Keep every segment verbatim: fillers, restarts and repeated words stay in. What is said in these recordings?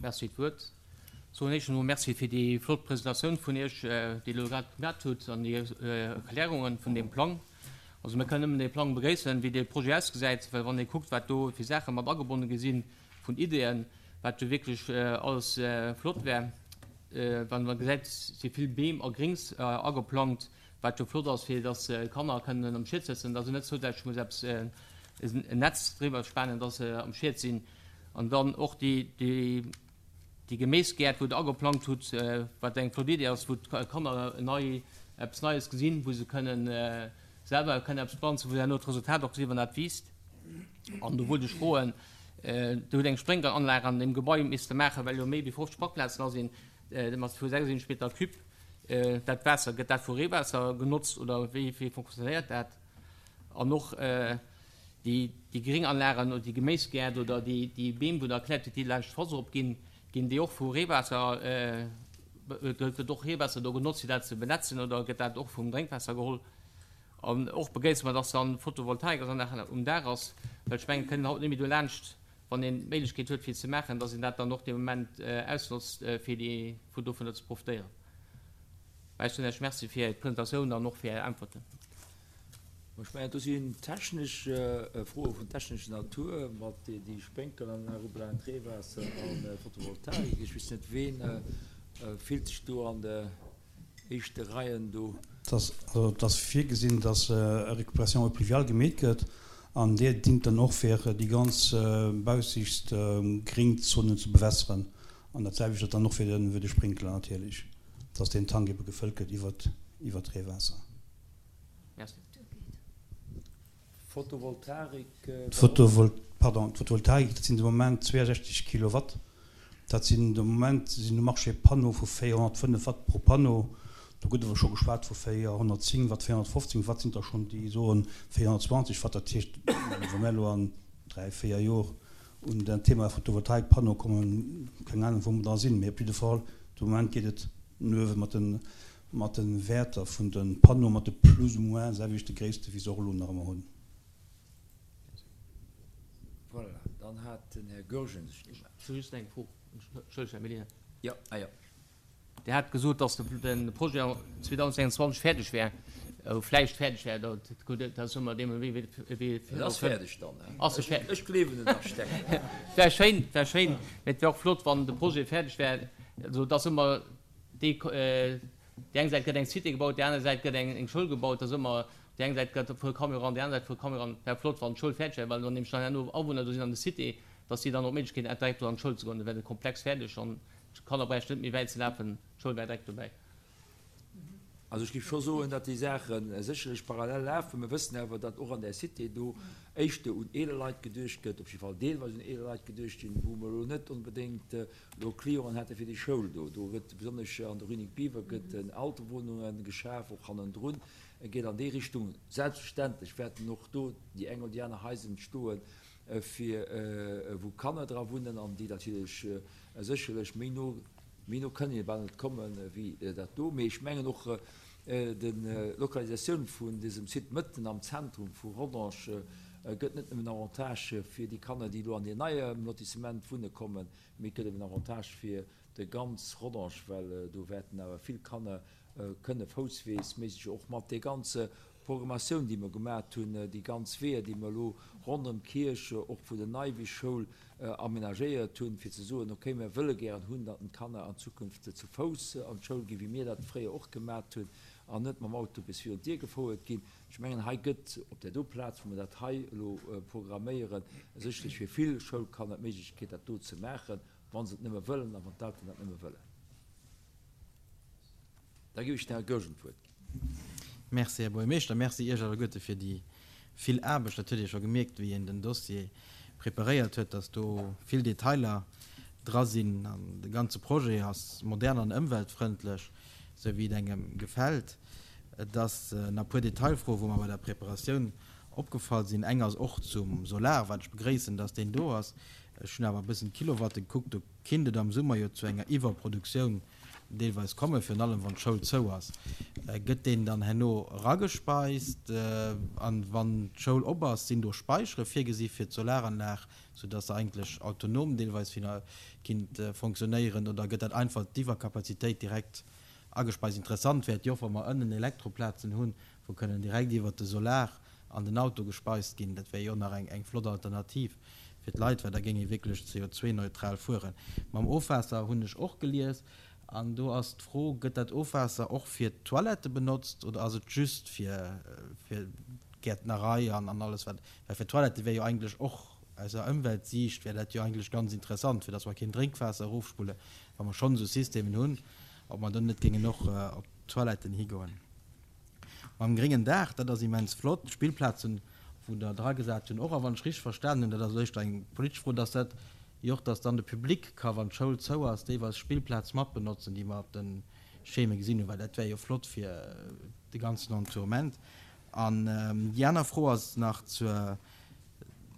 Merci fir d'Wuert. Soen éischt emol Merci fir déi flott Presentatioun vun Iech, déi Dir elo grad gemat hutt, an déi Erklärungen vun deem Plang. Also mir kënnen nëmmen dee Plang begréissen, wéi dee Projet ausgesäit, well wann ee kuckt, wat do fir Saache mat agebonne gi si vun Ideeën, wat jo wierklech alles flott wär, wann ee gesäit, si vill Beem a Grings ageplangt, wat jo flott ass, fir dass d'Kanner kënnen am Schiet sëtzen, dass se net zousätzlech muss eppes en Netz driwwer spanen, dass se am Schiet sinn. An dann och déi, déi, déi Geméisgäert, wou Der ageplangt hutt, wat eng flott Idee ass, wou d'Kanner nei, eppes Neies gesinn, wou se kënnen selwer kënnen eppes planzen, wou se herno d'Resultat och gesinn, wann dat wiisst. An do wollt ech froen, Der hutt eng Sprénkleranlag an deem Gebai misste maachen, well jo méi wéi fofzeg Parkplazen dra sinn, mat vu sechsundsiwwenzeg Meter cube. Dat Waasser, gëtt dat vu Reewaasser genotzt oder wéi, wéi fonctionnéiert dat? An och déi, déi Grénganlagen oder déi Geméisgäert oder déi, déi Beem, wou Der erkläert hutt, déi laanscht d'Foss erop ginn, ginn déi och vu Reewaasser, gëtt och Reewaasser do genotzt, fir dat ze benetzen oder gëtt dat och vum Drénkwaasser geholl? An och begréisse mer, dass dann Photovoltaikanlag um Daach ass, well ech mengen, et kënnt een haut net méi dolaanscht, wann een d'Méiglechkeet huet fir et ze maachen, dass een dat dann och dee Moment ausnotzt, fir déi, fir dovunner ze profitéieren. Mä ech soen Iech Merci fir d'Presentatioun an och fir Är Äntwerten. Ech mengen, do sinn technesch Froe vun technescher Natur, mat déi Spénkelanlag ubelaangt, Reewaasser a Photovoltaik. Ech weess net, ween fillt sech do an de éischte Reien do? Et ass virgesinn, dass e Récupération eau pluviale gemeet gëtt an déi dingt dann och fir déi ganz baussichtst Gréngzonen ze bewässeren. An dat selwecht ass dann och fir de Sprinkler natierlech, dass deen Tank ebe gefëllt gëtt iwwer d'Reewaasser. Merci. Photovoltaik. Pardon, d'Photovoltaik, dat sinn de Moment zweeënsechzeg Kilowatt. Dat sinn de Moment sinn um Marché Panneau vu véierhonnertfënnef Watt pro Panneau. Do gëtt awer scho geschwat vu véierhonnertzéng Watt, véierhonnertfofzéng Watt sinn der schonn, déi soen véierhonnertzwanzeg Watt. Dat heescht, wa mir elo an dräi, véier Jor un dat Thema Photovoltaikpanneau kommen, keng Ahnung, wou mer da sinn. Mee op jidde Fall, de Moment geet et no uewe mat de mat de Wäerter vun de Panneaue mat de plus ou moins selwechte Gréisste wéi se och elo nach ëmmer hunn. Voilà, dann hat den Här Goergen sech gemellt. Ech hu just eng Fro, Entschëllegt, Här Mellina. Jo, ah jo. Dir hat gesot, datt de Projet zweedausendengenzwanzeg fäerdeg wär, vläicht fäerdeg wär. Dat ass ëmmer deem, wéi, wéi. En ass fäerdeg dann, he? Ass e fäerdeg? Ech gleewen den Architekt. Wär schéin, wär schéin. Mee et wär och flott, wann de Projet fäerdeg wär. Also et ass ëmmer déi, déi eng Säit gëtt eng Cité gebaut, déi aner Säit gëtt eng, eng Schoul gebaut. Et ass ëmmer, déi eng Säit gëtt e puer Camion eran, déi aner Säit e puer Camion eran. Wär flott, wann d'Schoul fäerdeg wär, well dann nämlech dann herno Awunner do sinn an de Cité, datt si dann och d'Méiglechkeet hätten, direkt do an d'Schoul ze goen. Da wär de Komplex fäerdeg an D'Kanner bräichten net méi wäit ze lafen, d'Schoul wär direkt dobäi. Also ech géif scho soen, datt déi Saache sécherlech parallel lafen. Mir wëssen awer, datt och an där Cité do éischter un eeler Leit geduecht gëtt, op jidde Fall deelweis un eeler Leit geduecht ginn, wou mer elo net onbedéngt elo Clienten hätte fir déi Schoul do. Do gëtt besonnesch an der Rue Nic Biever gëtt Alterwunnunge geschaf, och hannendrun. Et geet an déi Richtung. Selbstverständlech wäerten och do déi eng oder déi aner Haiser entstoen, fir wou Kanner dra wunnen an déi natierlech sécherlech méi no, méi no kënnen ee bal net komme wéi dat do. Mee ech mengen och d'Lokalisatioun vun dësem Site mëtten am Zentrum vu Rodange gëtt net nëmmen en Avantage fir déi Kanner, déi elo an deen neie Lotissement wunne kommen, mee et gëtt eben en Avantage fir de ganz Rodange, well do wäerten awer vill Kanner kënne foussweesméisseg och mat dee ganze Programmatioun, déi mer gemat hunn, déi ganz Weeër, déi mer elo ronderëm d'Kierch, och vun der Neiwiss-Schoul amenagéiert hunn, fir ze soen, okay, mer wëlle gären hunn, datt d'Kanner an Zukunft zu Fouss an d'Schoul ginn, wéi mir dat fréier och gemat hunn, an net mam Auto bis virun d'Dier gefouert ginn. Ech mengen, hei gëtt op där do Plaz, wou mer dat hei elo programméieren, sécherlech fir vill Schoulkanner d'Méiglechkeet, dat do ze maachen, wa se et nëmme wëllen a wann d'Elteren dat nëmme wëllen. Da géif ech dem Här Goergen d'Wuert ginn. Merci, Här Buergermeeschter. Merci Iech alleguerte fir déi vill Aarbecht. Dat huet ee scho gemierkt, wéi een den Dossier preparéiert huet, dass do vill Detailer dra sinn. An de ganze Projet ass modern an ëmweltfrëndlech, esou wéi et engem gefält. Et ass nach e puer Detailfroen, wou mer bei der Preparatioun opgefall sinn. Eng ass och zum Solar, wat ech begréissen, dass deen do ass. Ech hunn awer e bëssen d'Kilowatte gekuckt. Do kinnt et am Summer jo zu enger Iwwerproduktioun deelweis kommen, virun allem wann d'Schoul zou ass. Gëtt deen dann herno eragespeist? An wann d'Schoul op ass, sinn do Späichere virgesi fir d'Solaranlag, soudass se eigentlech autonom deelweis kinnt fonctionnéieren? Oder gëtt dat einfach d'Iwwerkapazitéit direkt agespeist? Interessant wär et jo och, wa mer ënnen Elektroplazen hunn, wou kënnen direkt iwwert de Solar an den Auto gespeist ginn. Dat wär jo och nach eng flott Alternativ fir d'Leit, well da géing ee wierklech C O zwei neutral fueren. Mam Ofwaasser hunn ech och gelies, an do ass d'Fro, gëtt dat Ofwaasser och fir d'Toilette benotzt oder ass et just fir, fir d'Gäertnerei an, an alles wat, well fir d'Toilette wär jo eigentlech och aus der Ëmweltsiicht wär dat jo eigentlech ganz interessant, fir datt mer keen Drénkwaasser erofspulle, wa mer schonn esou Systemen hunn, ob mer dann net géingen och op d'Toiletten higoen. Mam gréngen Daach, dat ass immens flott, d'Spillplazen, wou der dragesat hunn, och, a wann ech richteg verstanen hunn, dat ass éischter eng politesch Fro, dass dat jo och, dass dann de Public ka, wann d'Schoul zou ass, deelweis Spillplaz matbenotzen, déi mer op de Scheme gesinn hunn, well dat wär jo flott fir de ganzen Entourement. An déi aner Fro ass nach zur,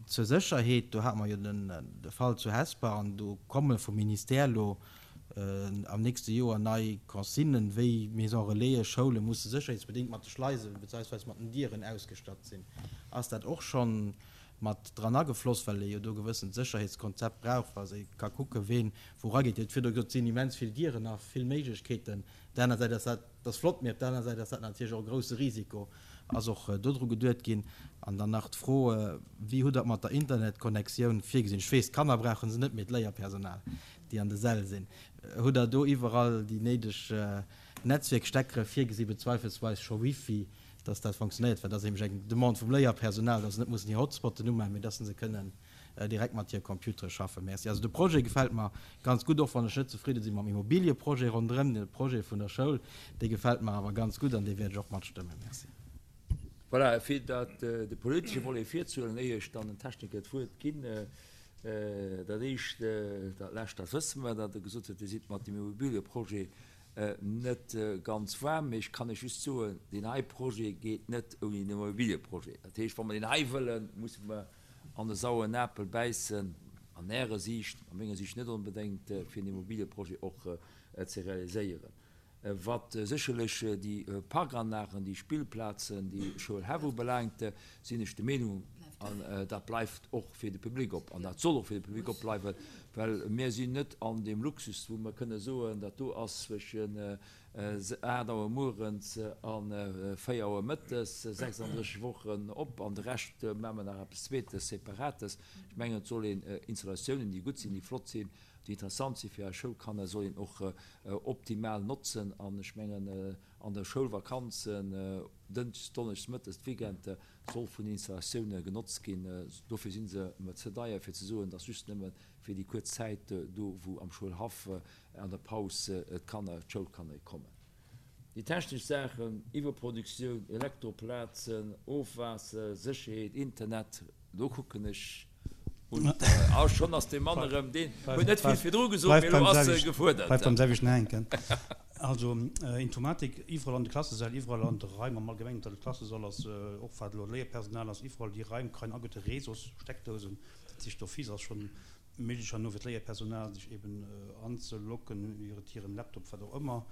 zur Sécherheet. Do hate mer jo den, de Fall zu Hesper, an do komme vum Ministère elo am nächste Joer nei Consignen, wéi Maison Relaisen, Schoule musse sécherheetsbedéngt mat de Schleisen beziehungsweise mat den Dieren ausgestatt sinn. Ass dat och schonn mat dran agefloss, well ee jo do gewëssen Sécherheetskonzept brauch, wa se ka kucke ween wou erageet. Dir hutt virdu gesot, et sinn immens vill Dieren a vill Méiglechkeeten. Op der aner Säit ass dat, dat ass flott, mee op der aner Säit ass dat natierlech och e grousse Risiko. Ass och dodru geduet ginn. An dann nach d'Fro, wéi hutt Der mat der Internetconnectioun virgesinn? Ech weess, d'Kanner brauche se net, mee d'Léierpersonal, déi an de Säll sinn. Hutt Der do iwwerall déi néideg Netzwierksteckere virgesinn, bezweifelsweis scho Wifi, dass dat fonctionnéiert? Well dat ass nämlech eng Demande vum Léierpersonal, dass se net mussen hir Hotspotten umaachen, mee dass se kënnen direkt mat hire Computere schaffen. Merci. Also de Projet gefält mer ganz gutt, och wann ech net zefridde si mam Immobilieprojet ronderëm, de Projet vun der Schoul, dee gefält mer awer ganz gutt an dee wäert ech och matstëmmen. Merci. Voilà, fir dat de politesche Volet virzuhuelen, éier ech dann den Techniker d'Wuert ginn, dat éischt, dat lescht, dat wësse mer, datt e gesot huet, Dir sidd mat dem Immobilieprojet net ganz waarm, mee ech kann Iech just soen, deen hei Projet geet net ouni den Immobilieprojet. Dat heescht, wa mer deen hei wëllen, musse mer an de sauren Apel bäissen, an Ärer Siicht, a menger Siicht net onbedéngt, fir den Immobilieprojet och ze realiséieren. Wat sécherlech déi Parkanlagen, déi Spillplazen, déi Schoulhäff ubelaangt, sinn ech der Meenung, an dat bleift och fir de Public op, an dat soll och fir de Public opbleiwen, well mir sinn net an deem Luxus, wou mer kënne soen, dat do ass zwëschen aacht Auer muerens a véier Auer mëttes, sechsunddrësseg Wochen op, an de Rescht maache mer nach eppes Zweetes, Separates. Ech mengen, et soll een Installatiounen, déi gutt sinn, déi flott sinn, déi interessant sinn fir eis Schoulkanner, soll een och optimal notzen. An ech mengen, an der Schoulvakanzen, Dënschdes, Donneschdes, Mëttes, d'Weekend, soll vun den Installatioune genotzt ginn. Dofir si se mer ze deier, fir ze soen, dass just nëmme fir déi kuerz Zäit do, wou am Schoulhaff an der Paus d'Kanner, d'Schoulkanner kommen. Déi technesch Saachen, Iwwerproduktioun, Elektroplazen, Ofwaasser, Sécherheet, Internet, do kucken ech un. Ah, schonn ass dee Mann erëm, deen huet net vill virdru gesot, mee elo ass e gefuerdert. Bleift beim selwechten hänken. Also Informatik, iwwerall an de Klassesäll, iwwerall an de Raim am Allgemengen, dat de Klassesall ass, och wat elo Léierpersonal ass, iwwerall déi Raim kréien ageute Réseaus, Steckdousen. Dat heescht, d'office ass schonn méiglech herno fir d'Léierpersonal sech eben anzelocken iwwer hiren Laptop, wat och ëmmer.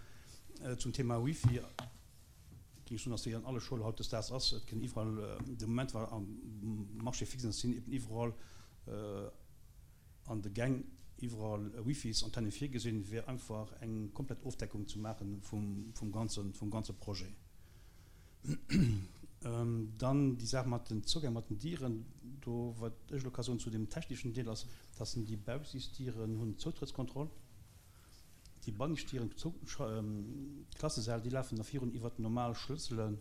Zum Thema Wifi géing ech soen, dass déi an alle Schoule hautdesdaags ass. Et kënn iwwerall, de Moment war am Marché fixen, sinn eben iwwerall an de Gäng iwwerall Wifis, Antenne virgesinn, fir einfach eng komplett Ofdeckung ze maachen vum, vum ganzen, vum ganze Projet. Dann déi Saach mat den Zougäng, mat den Dieren, do wat ech elo ka soen zu dem technischen Deel ass, dass sind déi Baussisdieren hunn Zoutrëttskontroll. Déi Banneschtdieren, Klassesäll, déi lafen da virun iwwer normal Schlësselen,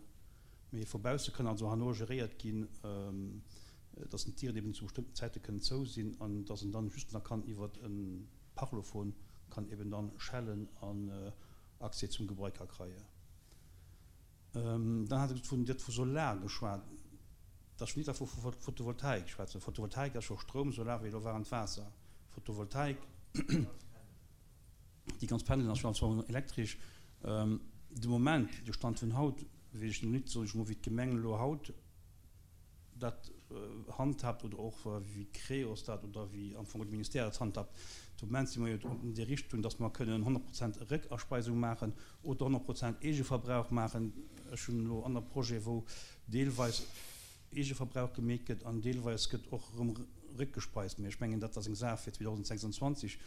mee vu bausse kënnen also herno geréiert ginn, dass den Dieren eben zu bestimmten Zäite kënnen zou sinn an dass en dann just nach kann iwwer en Parlophon kann eben dann schellen an Accès zum Gebai ka kreien. Dann hat e vun Dir vu Solar geschwat. Dat ass nit vu Photovoltaik schwätzen. Photovoltaik ass scho Stroum, Solar wéi elo war an d'Waasser. Photovoltaik, déi ganz Panelen ass schon elektrisch. De Moment, de Stand vun haut, weess ech nit, soll ech mol wéi d'Gemeng elo haut dat handhabt oder och wéi Creos dat oder wéi am Fong de Ministère dat handhabt. De Moment si mer jo an déi Richtung, dass mer kënnen honnert Prozent Réckaspeisung maachen oder honnert Prozent Eegeverbrauch maachen. Ech hunn elo aner Projete wou deelweis Eegeverbrauch gemeet gëtt an deelweis gëtt och erëm réckgespeist. Mee ech mengen, dat ass eng Saach fir zweedausendsechsundzwanzeg,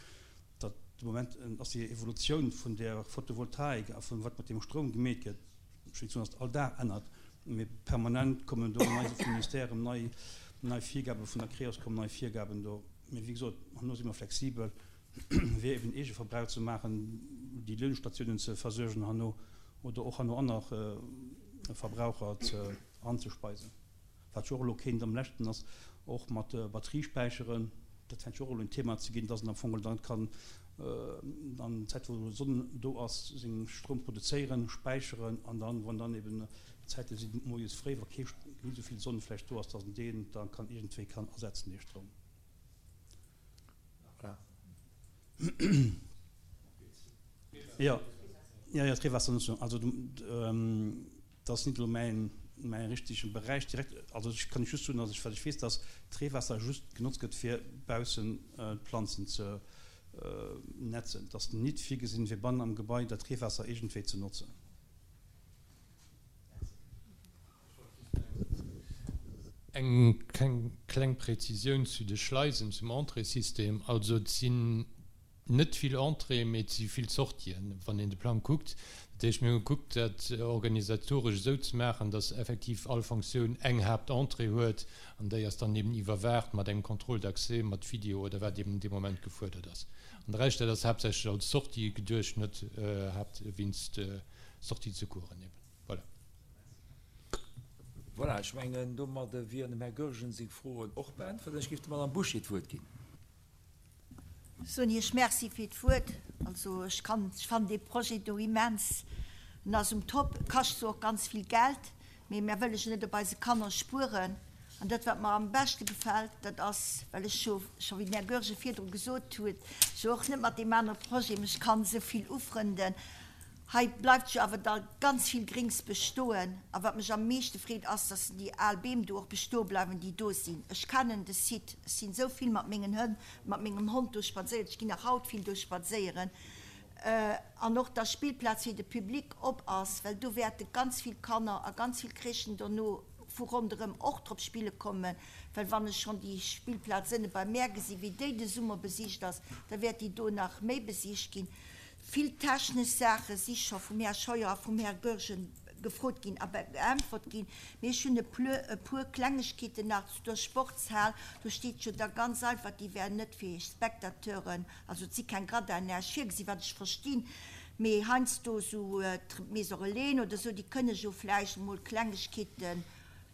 datt de Moment ass déi Evolutioun vun där Photovoltaik a vun wat mat deem Stroum gemeet gëtt, ech wëll net soen, datt all Dag ännert, mee permanent kommen do nei vum Ministère erëm nei, nei Virgaben, vun der Creos kommen nei Virgaben do. Mee wéi gesot, herno si mer flexibel, fir eben Eegeverbrauch ze maachen, déi Luedestatiounen ze versuergen herno oder och herno aner Verbraucher ze anzespeisen. Wat jo och elo kéint am leschten ass, och mat Batteriespäicheren, dat fänkt jo och elo en Thema ze ginn, dass en am Fong dann kann an Zäit wou Sonn do ass seng Stroum produzéieren, späicheren an dann, wann dann eben Zäite sinn moies fréi, wa kee net esou vill Sonn vläicht do ass, dass en deen da kann iergendwéi kann ersetzen, dee Stroum. Voilà. Jo, jo, jo, d'Reewaassernutzung. Also dat ass net elo mäin, mäi richtege Beräich direkt. Also ech kann just soen, dass ech, wat ech weess, dass d'Reewaasser just genotzt gëtt, fir baussen d'Planzen ze netzen. Et ass nit virgesinn, fir bannen am Gebai dat Reewaasser iergendwéi ze notzen. Eng kleng Präzisioun zu de Schleisen, zum Entréessystem. Also et sinn net vill Entréeën, mee et si vill Sortien, wann een de Plang kuckt. Dat heescht, mir hu gekuckt, dat organisatoresch esou ze maachen, dass effektiv all Fonctioun eng Haaptentrée huet an déi ass dann eben iwwerwaacht mat engem Contrôle d'accès, mat Video oder wat eben dee Moment gefuerdert ass. An de Rescht, dat ass haaptsächlech als Sortie geduecht, net wéinst Sortie de secoursen eben. Voilà. Voilà, ech mengen, domadde wieren dem Här Goergen seng Froen och beäntwert. Ech géif der Madame Bouché d'Wuert ginn. Soen Iech Merci fir d'Wuert. Also ech kann, ech fannen dee Projet do immens, en ass um Top, e kascht zwar och ganz vill Geld, mee mär wëlle jo net op eise Kanner spueren. An dat wat mer am beschte gefält, dat ass, well ech jo scho, wéi den Här Goergen virdru gesot huet, jo och net mat deem anere Projet mech kann esou vill ufrënden, hei bleift jo awer da ganz vill Grings bestoen. A wat mech am meeschte freet, ass, dass déi al Beem do och bestoe bleiwen, déi do sinn. Ech kennen de Site, ech sinn esou vill mat mengen Hënn, mat mengem Hond do spadséiert, ech ginn nach haut vill do spadséieren. An och, dass d'Spillplaz fir de Public op ass, well do wäerte ganz vill Kanner a ganz vill Crèchen dono vu ronderëm och drop spille kommen, well wann ech schonn déi Spillplaz ënne bei mär gesinn, wéi déi de Summer besicht ass, da wäert déi do nach méi besicht ginn. Vill technesch Saache si scho vum Här Scheuer a vum Här Goergen gefrot ginn a beäntwert ginn, mee ech hunn e puer Klengegkeeten nach zu der Sportshal. Do steet jo da ganz einfach, déi wär net fir Spectateuren, also et si keng Gradinen, näischt virgesinn, wat ech verstinn, mee heiansdo esou d'Maison Relaisen oder esou, déi kënne jo vläicht emol Klengegkeeten,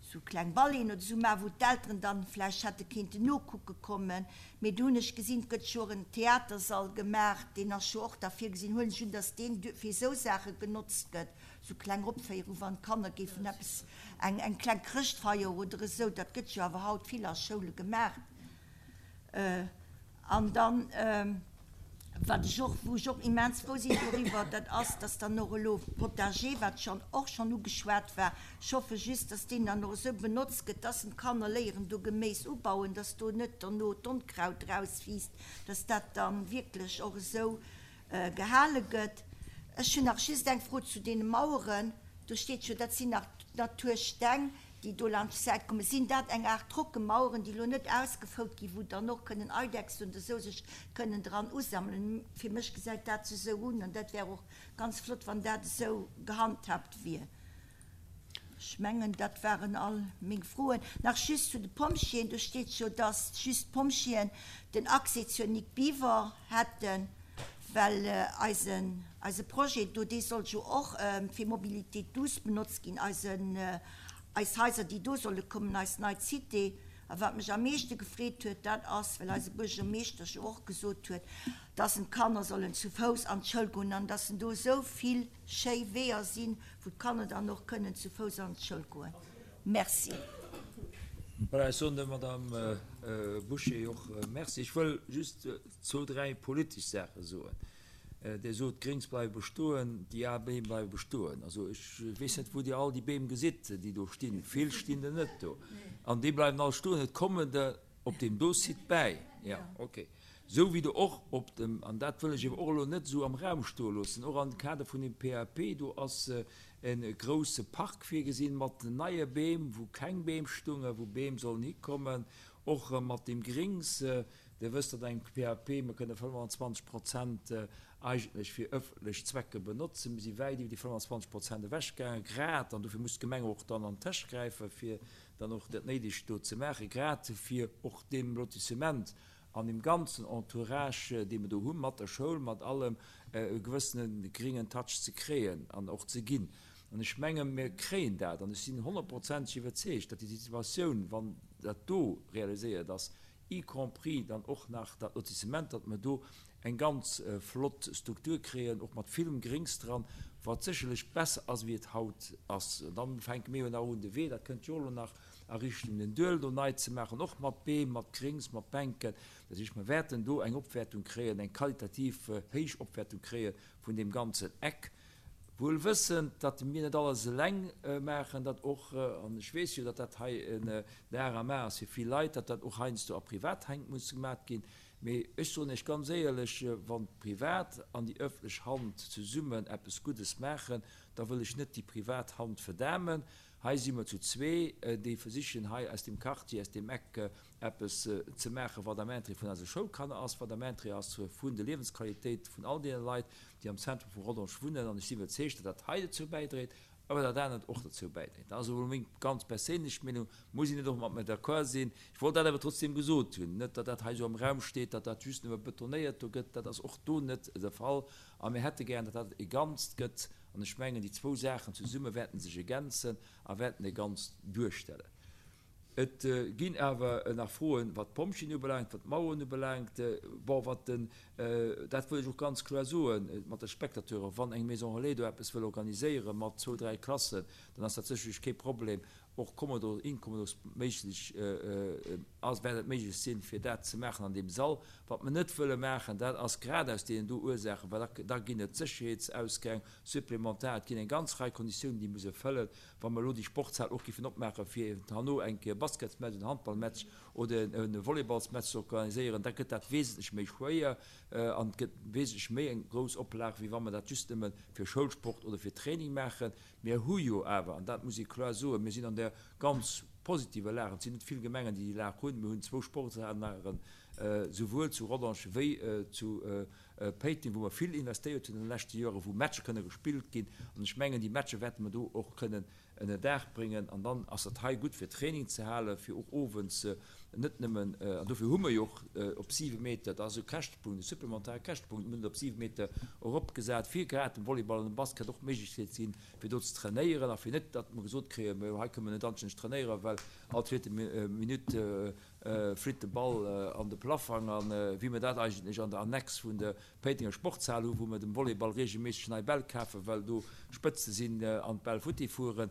esou kleng Ballet'en oder esou maachen, wou d'Elteren dann vläicht hätte kéinten nokucke kommen. Mee do hunn ech gesinn, et gëtt jo och en Theatersall gemaach, deen ass jo och da virgesinn, huelen ech un, dass deen fir esou Saache genotzt gëtt, esou kleng Opféierung, wann d'Kanner géifen eppes, eng, eng kleng Chrëschtfeier oder esou, dat gëtt jo awer haut vill a Schoule gemaach. An dann, wat ech och, wou ech och immens frou sinn doriwwer, dat ass, dass dann och elo Potager, wat schonn och schonn ugeschwat war, ech hoffe just, dass deen dann och esou benotzt gëtt, dass en d'Kanner léieren do Geméis ubauen, dass do net derno d'Onkraut rauswiisst, dass dat dann wierklech och esou gehale gëtt. Ech hunn nach just eng Fro zu deene Maueren. Do steet jo, dat sinn nach Natursteng, déi do laanscht d'Säit kommen. Sinn dat eng Aart Trockemaueren, déi elo net ausgefout ginn, wou dann och kënnen Eidechsen oder esou sech kënnen dran usammelen? Fir mech gesäit dat sech esou un an dat wär och ganz flott, wann dat esou gehandhaabt wier. Ech mengen, dat waren all meng Froen. Nach just zu de Pompjeeën, Do steet jo, dass just d'Pompjeeën den Accès zur Nic Biver hätten, well eisen, eise Projet do, dee soll jo och fir Mobilité douce benotzt ginn, eisen, eis Haiser, déi do solle kommen, eis nei Cité. A wat mech am meeschte gefreet huet, dat ass, well eise Buergermeeschter jo och gesot huet, dass en d'Kanner sollen zu Fouss an d'Schoul goen an dass en do esou vill schéi Weeër sinn, wou d'Kanner dann och kënnen zu Fouss an d'Schoul goen. Merci. Voilà, ech soen der Madame Bouché och Merci. Ech wëll just zwou, dräi politesch Saache soen. Dir sot, d'Gréngs bleiwe bestoen, déi al Beem bleiwe bestoen. Also ech weess net, wou Dir all déi Beem gesitt, déi do stinn. Vill stinn der net do. An déi bleiwen all stoen. Et kommen der op deem do Site bäi. Jo, okay. Esou wéi der och op dem, an dat wëll ech awer och elo net esou am Raum stoe loossen, och am Kader vun dem P A P, do ass e grouse Park virgesinn mat neie Beem, wou keng Beem stungen, wou Beem sollen hikommen, och mat deem Grings. Dir wësst, datt engem P A P mer kënne fënnfanzwanzeg Prozent eigentlech fir ëffentlech Zwecke benotzen. Mir si wäit iwwer déi fënnfanzwanzeg Prozent ewechgaangen, grad, an dofir muss d'Gemeng och dann an d'Täsch gräifen, fir dann och dat Néidegt do ze maachen, grad fir och deem Lotissement an deem ganzen Entourage, dee mer do hu mat der Schoul, mat allem, e gewëssene gringen Touch ze kréien an och ze ginn. An ech menge mir kréien dat, an ech sinn honnertprozenteg iwwerzeegt, datt déi Situatioun, wann dat do realiséiert ass, y compris dann och nach dat Lotissement, datt mer do eng ganz flott Struktur kréien, och mat villem Grings dran, wat sécherlech besser ass wéi et haut ass. An dann fänke mir jo nach un de Wee, dat kënnt jo elo nach a Richtung den Duel do nei ze maachen, och mat Beem, mat Grings, mat Bänken. Dat heescht, mer wäerten do eng Opwäertung kréien, eng qualitativ héich Opwäertung kréie vun deem ganzen Eck. Wuel wëssend, datt mir net alles eleng maachen, datt och, an ech weess jo, datt dat hei en Dar am A ass fir vill Leit, datt dat och heiansdo a Privathänn muss gemat ginn. Mee ech soen Iech ganz éierlech, wann d'privat an déi ëffentlech Hand zesummen eppes Guddes maachen, da wëll ech net déi privat Hand verdamen. Hei si mer zu zwee, déi versichen hei aus deem Quartier, aus deem Eck eppes ze maachen, wat am Interêt vun eise Schoulkanner ass, wat am Interêt ass vun der Liewensqualitéit vun all deene Leit, déi am Zentrum vu Rodange wunnen. An ech si iwwerzeegt, datt dat hei dozou bäidréit, awer dat anert och dozou bäidréit. Dat ass elo meng ganz perséinlech Meenung, muss een net och mat mir d'accord sinn. Ech wollt dat awer trotzdem gesot hunn, net datt dat hei esou am Raum steet, datt dat just nëmme betonéiert do gëtt. Dat ass och do net de Fall. A mir hätte gären, datt dat e Ganzt gëtt. An ech mengen, déi zwou Saachen zesumme wäerten sech ergänzen a wäerten e Ganzt duerstellen. Et ginn awer nach Froen, wat d'Pompjeeën ubelaangt, wat d'Maueren ubelaangt. Bon, wat den, dat wëll ech och ganz kloer soen, mat de Spectateuren, wann eng Maison relais do eppes wëll organiséiere mat zwou, dräi Klassen, dann ass dat sécherlech kee Problem. Och kommodo, inkommodos méiglech ass, wäert et méiglech sinn, fir dat ze maachen an deem Sall. Wat mer net wëlle maachen, dat ass grad aus deenen do Ursaachen, well da, da ginn et Sécherheetsausgäng supplementar, et ginn eng ganz Rei Konditiounen, déi muss erfëllen. Wa mer elo déi Sportshal och géifen opmaachen, fir eben herno eng Kéier e Basketsmatch, en Handballmatch oder e Volleyballsmatch ze organiséieren, da gëtt dat wesentlech méi schwéier an et gëtt wesentlech méi eng grouss Oplag, wéi wa mer dat just nëmme fir Schoulsport oder fir Training maachen. Mir hu jo awer, an dat muss ee kloer soen, mir sinn an där ganz positiver Lag, et sinn net vill Gemengen, déi déi Lag hunn, mir hunn zwou Sportsanlagen, souwuel zu Rodange wéi zu Péiteng, wou mer vill investéiert hunn an de leschte Joren, wou Matcher kënne gespillt ginn. An ech mengen, déi Matcher wäerte mer do och kënnen ënner Daach bréngen. An dann ass dat hei gutt fir Training ze halen, fir och owends net nëmmen, an dofir hu mer jo och op siwe Meter, dat ass e Käschtepunkt, e supplementare Käschtepunkt, mir hunn et op siwe Meter eropgesat, fir grad dem Volleyball an dem Basket och d'Méiglechkeet ze ginn, fir do ze trainéieren a fir net, datt mer gesot kréien, mä hei kënne mer net anstänneg trainéieren, well all zweete Minutt flitt de Ball an de Plaffang. A wéi mer dat eigentlech an der Annex vun der Péitenger Sportshal hu, wou mer dem Volleyball reegelméisseg nei Bäll kafen, well do Spëtze sinn an d'Bäll futti fueren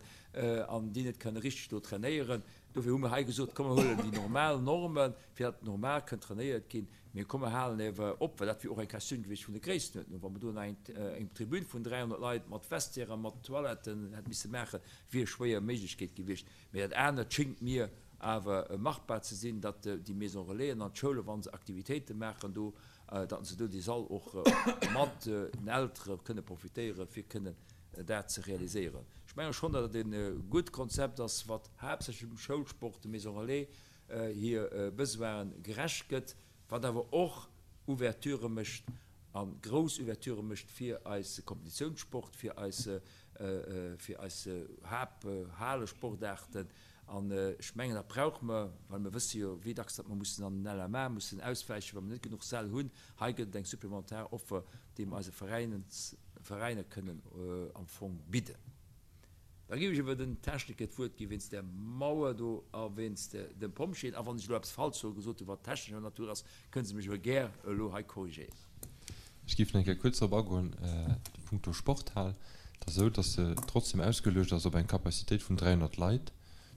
an déi net kënne richteg do trainéieren. Dofir hu mer hei gesot, komm mer huelen déi normal Normen, fir datt normal kënn trainéiert ginn, mee komm mer halen ewer op, well dat wier och eng Questioun gewiescht vun der Gréisstenuerdnung, wa mer do nach eng Tribün vun dräihonnert Leit mat Vestiairen, mat Toiletten hätt misse maachen, wier schwéier Méiglechkeet gewiescht. Mee dat anert schéngt mir awer machbar ze sinn, datt déi Maison Relaisen an d'Schoule, wa se Aktivitéite maachen do, datt se do dee Sall och mat den Eltere kënne profitéieren, fir kënnen dat ze realiséieren. Ech menge schonn, datt et e gutt Konzept ass, wat haaptsächlech dem Schoulsport, de Maison Relais hir Besoine gerecht gëtt, wat awer och Ouverturë mécht a grouss Ouverturë mécht fir eise Kompetitiounssport, fir eis, fir eis Haapthalesportaarten. An ech mengen, dat brauche mer, well mer wësse jo, wéi dacks datt mer mussen an den L M A mussen auswäichen, wa mer net genuch Säll hunn. Hei gëtt et eng supplementar Offer, déi mer eise Veräiner kënnen am Fong bidden. Da géif ech awer den Techniker d'Wuert gi wéinst där Mauer do a wéinst dem Pompjeeën. A wann ech elo eppes falsch soe gesot hunn, wat technescher Natur ass, kënne se mech awer gär elo hei korrigéieren. Ech géif nach eng Kéier kuerz drop agoen, punkto Sporthal. Et ass esou, dass se trotzdem ausgeluecht ass op eng Capacitéit vun dräihonnert Leit.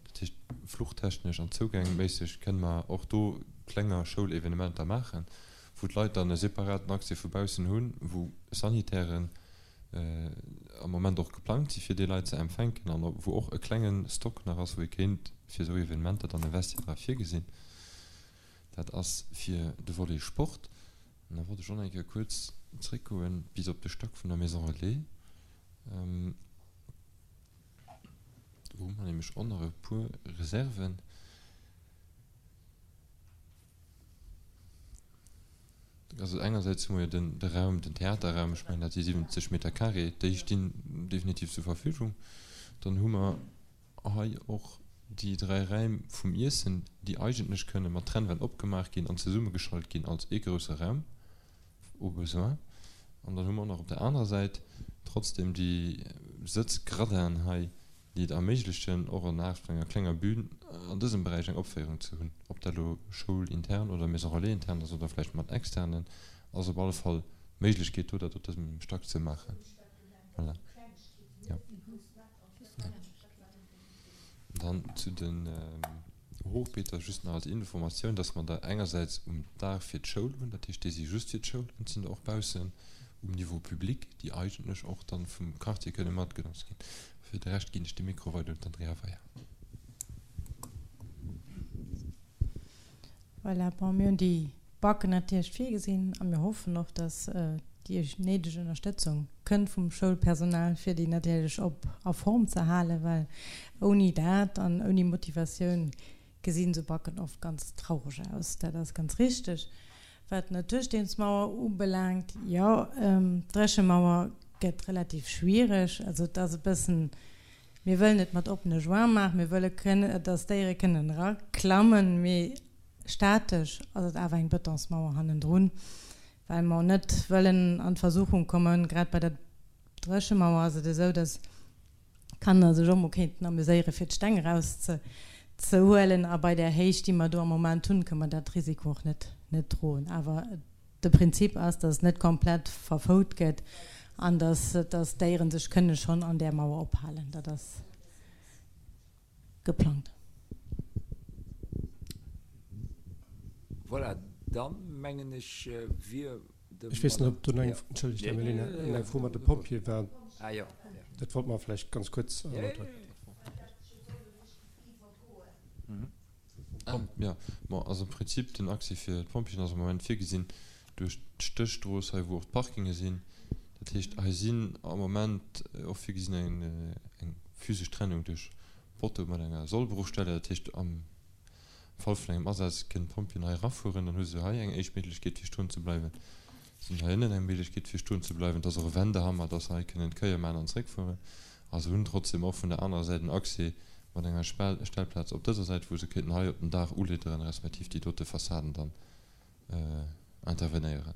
Dat heescht, fluchtechnesch an zougängméisseg kënne mer och do klenger Schoulevenementer maachen. wou d'Leit dann e separaten Accès vu baussen hunn, wou Sanitären am Moment och geplangt si fir déi Leit ze empfänken an wou och e klenge Stock nach ass, wou ee kéint fir esou Evenementer dann e Vestiaire dra virgesinn. Dat ass fir de Volet Sport. An da wollt ech och nach eng Kéier kuerz zréckgoen bis op de Stack vun der Maison Relais. Do hu mer nämlech och nach e puer Reserven. Also engersäits hu mer jo den, de Raum, den Theaterraum, ech mengen dat si siwwenzeg Meter carré, déi stinn definitiv zur Verfügung. Dann hu mer hei och déi dräi Räim vum Iessen, déi eigentlech kënne mat Trennwänn opgemaach ginn an zesummegeschalt ginn als ee grousse Raum au besoin. An dann hu mer och nach op der anerer Säit trotzdem déi Sëtzgradinen hei, déi et erméiglechen, och an Aart vun enger klenger Bühn an dësem Beräich eng Opféierung ze hunn. Ob dat elo schoulintern oder Maison relais intern ass oder vläicht mat Externen, ass op alle Fall d'Méiglechkeet do, dat op dësem Stack ze maachen. Voilà. Jo. Dann zu den Hochbeeter just nach als Informatioun, dass mer der engersäits um Daach fir d'Schoul hunn, dat heescht, déi si just fir d'Schoul, an et sinn der och baussen um Niveau public, déi eigentlech och dann vum Quartier kënne matgenotzt ginn. Fir de Rescht ginn ech de Mikro weider un d'Andrea Weier. Voilà, bon, mir hunn déi Backen natierlech virgesinn a mir hoffen och, dass déi néideg Ënnerstëtzung kënnt vum Schoulpersonal, fir déi natierlech op a Form ze halen, well ouni dat an ouni Motivatioun gesinn esou Backen oft ganz traureg aus. Dat ass ganz richteg. Wat d'Natursteensmauer ubelaangt, jo, d'Dréchemauer gëtt relativ schwiereg. Also et ass e bëssen, mir wëllen et mat oppene Joints maachen, mir wëlle kënnen, dass d'Déiere kënnen eraklammen, mee statesch ass et awer eng Betonsmauer hannendrun, well mer net wëllen an d'Versuchung kommen, grad bei der Dréchemauer ass et esou, dass d'Kanner sech och mol kéinten amuséieren, fir d'Steng eraus ze ze huelen a bei där Héicht, déi mer do am Moment hunn, kënne mer dat Risiko och net net droen. Awer de Prinzip ass, dass et net komplett verfout gëtt an dass dass d'Déiere sech kënne schonn an där Mauer ophalen. Dat ass geplangt. Voilà, dann mengen ech wier de Ech weess net, ob do nach eng, entschëllegt, Här Mellina, eng Fro mat de Pompjeeë war. Dat wollte mer vläicht ganz kuerz erläuteren. Jo, bon, also am Prinzip den Accès fir d'Pompjeeën ass am Moment virgesinn duerch d'Stéchstrooss hei, wou och d'Parkinge sinn. Dat heescht, hei sinn am Moment och virgesinn eng eng physesch Trennung duerch Poteau mat enger Sollbruchstelle. Dat heescht, am Fall vun engem Asaz kënnen d'Pompjeeën hei erafueren. Dann hu se hei eng éischt Méiglechkeet fir stoen ze bleiwen. Se hunn hei ënnen eng Méiglechkeet fir stoen ze bleiwen. Et ass och e Wendehammer, dass se hei kënnen d'Kéier maachen an zeréckfueren. A se hunn trotzdem och vun der anerer Säit en Accès mat enger Stellplaz op dëser Säit, wou se kéinten hei op den Daach ulidderen, respektiv déi dote Fassaden dann intervenéieren.